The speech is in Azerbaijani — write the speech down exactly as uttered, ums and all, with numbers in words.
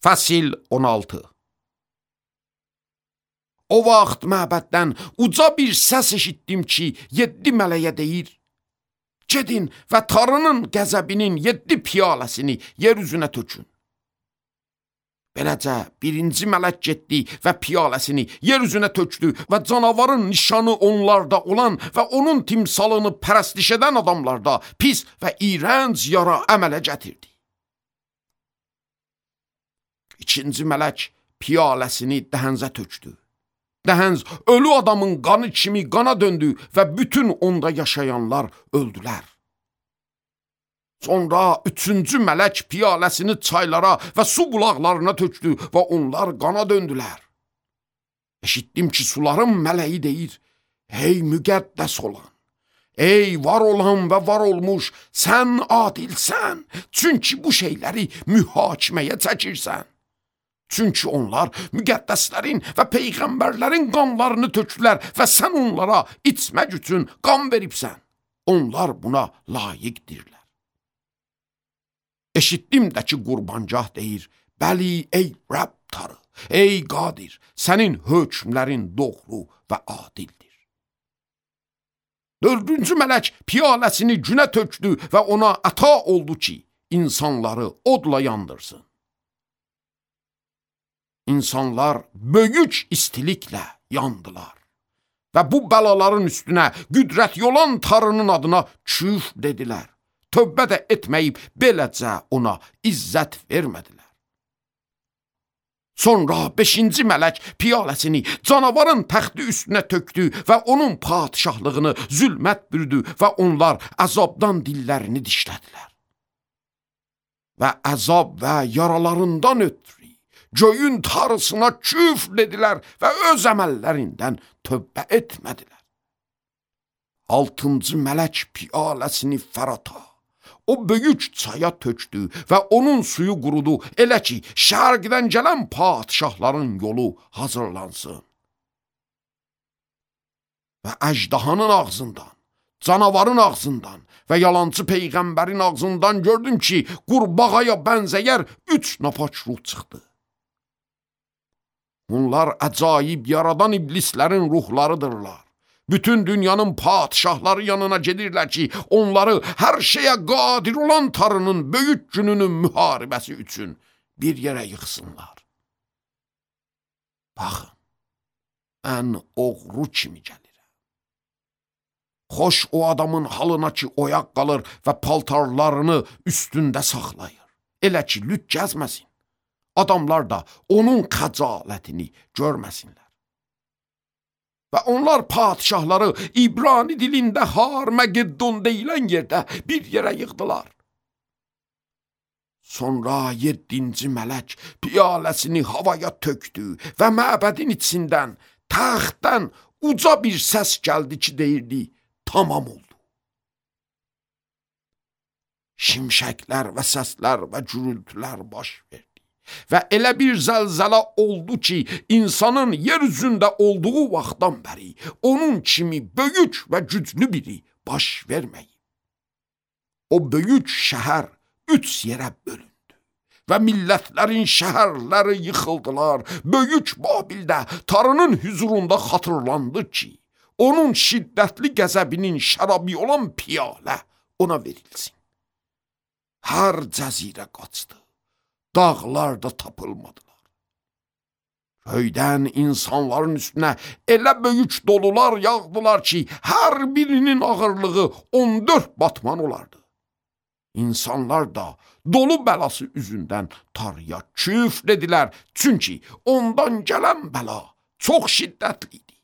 Fəsil on altı. O vaxt məbəddən uca bir səs eşitdim ki, yeddi mələyə deyir: gedin və Tanrının qəzəbinin yeddi piyaləsini yer üzünə tökün. Beləcə birinci mələk getdi və piyaləsini yer üzünə tökdü və canavarın nişanı onlarda olan və onun timsalını pərəstiş edən adamlarda pis və iyrənc yara əmələ gətirdi. İkinci mələk piyaləsini dəhənzə tökdü. Dəhənz ölü adamın qanı kimi qana döndü və bütün onda yaşayanlar öldülər. Sonra üçüncü mələk piyaləsini çaylara və su bulaqlarına tökdü və onlar qana döndülər. Eşitdim ki, suların mələyi deyir: ey müqəddəs olan, ey var olan və var olmuş, sən adilsən, çünki bu şeyləri mühakiməyə çəkirsən. Çünki onlar müqəddəslərin və peyğəmbərlərin qanlarını tökdülər və sən onlara içmək üçün qan veribsən. Onlar buna layiqdirlər. Eşitdim də ki, qurbancah deyir: bəli, ey Rəbb Tanrı, ey qadir, sənin hökmlərin doğru və adildir. Dördüncü mələk piyaləsini günə tökdü və ona əta oldu ki, insanları odla yandırsın. İnsanlar böyük istiliklə yandılar və bu bəlaların üstünə qüdrətli olan Tanrının adına küfr dedilər. Tövbə də etməyib beləcə ona izzət vermədilər. Sonra beşinci mələk piyaləsini canavarın təxti üstünə tökdü və onun padişahlığını zülmət bürüdü və onlar əzabdan dillərini dişlədilər. Və əzab və yaralarından ötürü göyün Tanrısına küfr dedilər və öz əməllərindən tövbə etmədilər. Altıncı mələk piyaləsini Fərata, o böyük çaya tökdü və onun suyu qurudu, elə ki, şərqdən gələn padişahların yolu hazırlansın. Və əjdahanın ağzından, canavarın ağzından və yalancı peyğəmbərin ağzından gördüm ki, qurbağaya bənzəyər üç napaç ruh çıxdı. Bunlar əcaib yaradan iblislərin ruhlarıdırlar. Bütün dünyanın padişahları yanına gedirlər ki, onları hər şeyə qadir olan Tanrının böyük gününün müharibəsi üçün bir yerə yıxsınlar. Baxın, mən oğru kimi gəlirəm. Xoş o adamın halına ki, oyaq qalır və paltarlarını üstündə saxlayır. Elə ki, lüt gəzməsin. Adamlar da onun xəcalətini görməsinlər. Və onlar padişahları İbrani dilində Har-Məgeddon deyilən yerdə bir yerə yığdılar. Sonra yeddinci mələk piyaləsini havaya tökdü və məbədin içindən, təxtdən uca bir səs gəldi ki, deyirdi: tamam oldu. Şimşəklər və səslər və gürültülər baş verdi. Və elə bir zəlzələ oldu ki, insanın yer üzündə olduğu vaxtdan bəri onun kimi böyük və güclü biri baş verməyib. O böyük şəhər üç yerə bölündü və millətlərin şəhərləri yıxıldılar. Böyük Babildə Tanrının hüzurunda xatırlandı ki, onun şiddətli qəzəbinin şərabı olan piyalə ona verilsin. Hər cəzirə qaçdı. Dağlar da tapılmadılar. Göydən insanların üstünə elə böyük dolular yağdılar ki, hər birinin ağırlığı on dörd batman olardı. İnsanlar da dolu bəlası üzündən Tanrıya küfr dedilər, çünki ondan gələn bəla çox şiddətli idi.